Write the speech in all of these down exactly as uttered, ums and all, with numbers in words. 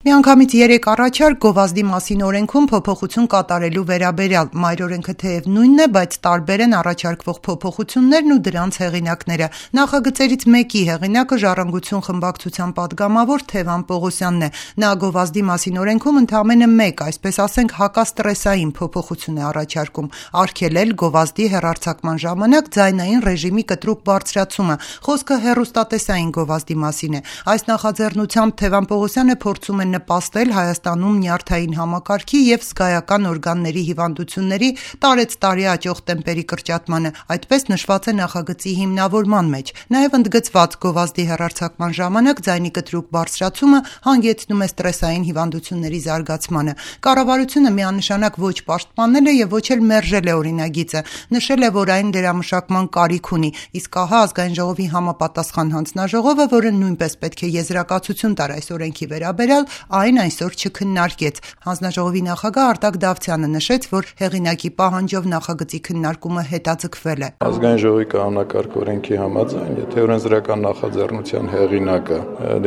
Միանգամից երեք առաջարկ գովազդի մասին օրենքում փոփոխություն կատարելու վերաբերյալ մայրօրենքը թեև նույնն է, բայց տարբեր են առաջարկվող փոփոխություններն ու դրանց հեղինակները։ Նախագծերից մեկի հեղինակը Ժառանգություն խմբակցության պատգամավոր Թևան Պողոսյանն է։ Նա գովազդի մասին օրենքում ընդամենը մեկ, այսպես ասենք, հակաստրեսային փոփոխություն է առաջարկում՝ արգելել գովազդի հեռարձակման ժամանակ ձայնային ռեժիմի կտրուկ բարձրացումը։ Խոսքը հեռուստատեսային գովազդի մասին է։ Այս նախաձեռնությամբ Թևան Պողոսյանը փորձում է նպաստել Հայաստանում նյարդային համակարգի և զգայական օրգանների հիվանդությունների տարեցտարի աճող տեմպերի կրճատմանը, այդպես նշված է նախագծի հիմնավորման մեջ։ Նաև ընդգծված գովազդի հեռարձակման ժամանակ ձայնի կտրուկ բարձրացումը հանգեցնում է ստրեսային հիվանդությունների զարգացմանը։ Կառավարությունը միանշանակ ոչ պաշտպանել է և ոչ էլ մերժել է օրինագիծը, նշել է, որ այն լրամշակման կարիք ունի, իսկ ահա Ազգային ժողովի համապատասխան հանձնաժողովը, որը նույնպես պետք է եզրակացություն տար այս օրենքի վերաբերյալ, այն այսօր չքննարկեց։ Հանձնաժողովի նախագահ Արտակ Դավթյանը նշեց, որ հեղինակի պահանջով նախագծի քննարկումը հետաձգվել է։ Ազգային ժողովի կանոնակարգ օրենքի համաձայն, եթե օրենսդրական նախաձեռնության հեղինակը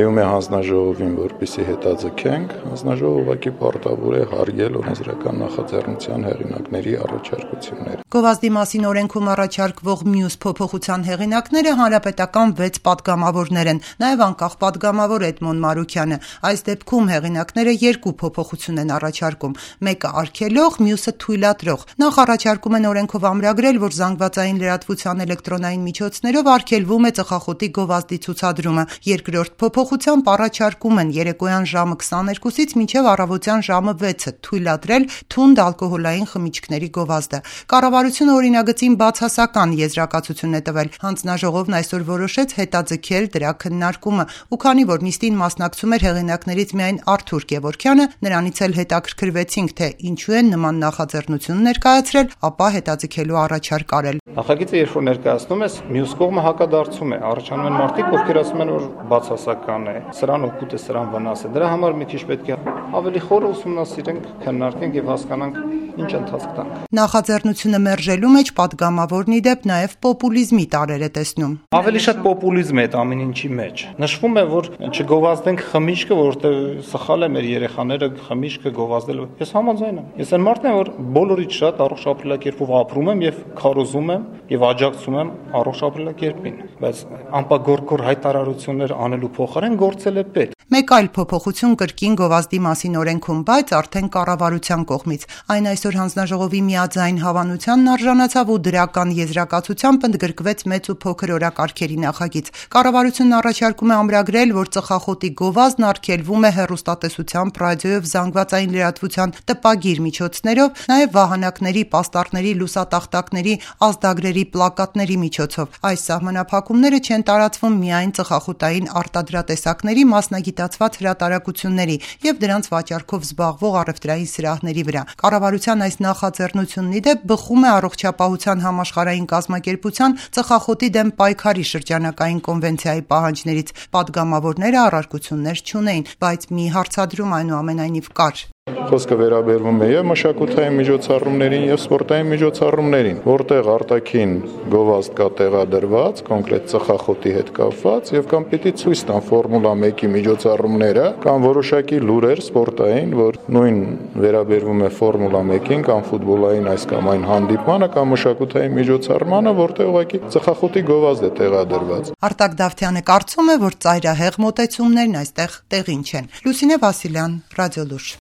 դիմում է հանձնաժողովին, որպեսզի հետաձգենք, հանձնաժողովը ուղղակի պարտավոր է հարգել օրենսդրական նախաձեռնության հեղինակների առաջարկությունները։ Գովազդի մասին օրենքում առաջարկվող մյուս փոփոխության հեղինակները հանրապետական վեց պատգամավորներ են, նաև անկախ պատգամավոր Էդմոն Մարուքյանը։ Այս դեպքում հեղինակները երկու փոփոխություն են առաջարկում՝ մեկը արգելող, մյուսը թույլատրող։ Նախ առաջարկում են օրենքով ամրագրել, որ զանգվածային լրատվության էլեկտրոնային միջոցներով արգելվում է ծխախոտի գովազդի ցուցադրումը։ Երկրորդ փոփոխությամբ առաջարկում են երեկոյան ժամը քսաներկուսից մինչև առավոտյան ժամը վեցը թույլատրել թունդ ալկոհոլային խմիչքների գովազդը։ Կառավարությունը օրինագծին բացասական եզրակացություն է տվել։ Հանձնաժողովն այսօր որոշեց հետաձգել դրա քննարկումը, ու քանի որ նիստին մասնակցում էր հեղինակներից միայն Արթուր Գևորգյանը, նրանից էլ հետաքրքրվեցինք, թե ինչու են նման նախաձեռնություն ներկայացրել, ապա հետաձգելու առաջարկ արել։ Նախագիծը երբ որ ներկայացնում ես, մյուս կողմը հակադարձում է, առաջանում են մարդիկ, ովքեր ասում են, որ բացասական է, սրան օգուտ է, սրան վնաս է։ Դրա համար մի քիչ պետք է ավելի խոր ուսումնասիրենք, քննարկենք եւ հասկանանք ինչ ընթացք տանք։ Նախաձեռնությունը մերժելու մեջ պատգամավորն ի դեպ նաև պոպուլիզմի տարեր է տեսնում։ Ավելի շատ պոպուլիզմ է այդ ամեն ինչի մեջ։ Նշվում է, որ չգովազդենք խմիչքը, որովհետեւ սխալ է մեր երեխաները խմիչքը գովազդել։ Ես համաձայն եմ։ Ես այն մարդն եմ, որ բոլորից շատ առողջ ապրելակերպով ապրում եմ եւ քարոզում եմ եւ աջակցում եմ առողջ ապրելակերպին, բայց անպագորգոր հայտարարություններ անելու փոխարեն գործել է պետք։ Մեկ այլ փոփոխություն կրկին գովազդի մասին օրենքում, բայց արդեն կառավարության կողմից։ Այն այսօր հանձնաժողովի միաձայն հավանությանն արժանացավ ու դրական եզրակացությամբ ընդգրկվեց մեծ ու փոքր օրակարգերի նախագիծ։ Կառավարությունն առաջարկում է ամրագրել, որ ծխախոտի գովազդն արգելվում է հեռուստատեսությամբ, ռադիոյով, զանգվածային լրատվության տպագիր միջոցներով, նաև վահանակների, պաստառների, լուսատախտակների, ազդագրերի, պլակատների միջոցով։ Այս սահմանափակումները չեն տարածվում միայն ծխախոտային արտադրատեսակների, մասնագիտացված հրատարակությունների և դրանց վաճառքով զբաղվող առևտրային սրահների վրա։ Կառավարության այս նախաձեռնությունն ի դեպ բխում է Առողջապահության համաշխարհային կազմակերպության ծխախոտի դեմ պայքարի շրջանակային կոնվենցիայի պահանջներից։ Պատգամավորները առարկություններ չունեին, բայց մի հարցադրում այնուամենայնիվ կար։ Խոսքը վերաբերվում է եւ մշակութային միջոցառումներին եւ սպորտային միջոցառումներին, որտեղ արտաքին գովազդ կա տեղադրված, կոնկրետ ծխախոտի հետ կապված, եւ կամ պիտի ցույց տան Ֆորմուլա մեկի միջոցառումները, կամ որոշակի լուրեր սպորտային, որ նույն վերաբերվում է Ֆորմուլա մեկին կամ ֆուտբոլային այս կամ այն հանդիպմանը կամ մշակութային միջոցառմանը, որտեղ ուղղակի ծխախոտի գովազդ է տեղադրված։ Արտակ Դավթյանը կարծում է, որ ծայրահեղ մոտեցումներն այստեղ տեղին չեն։ Լուսինե Վասիլյան, Ռադիոլուր։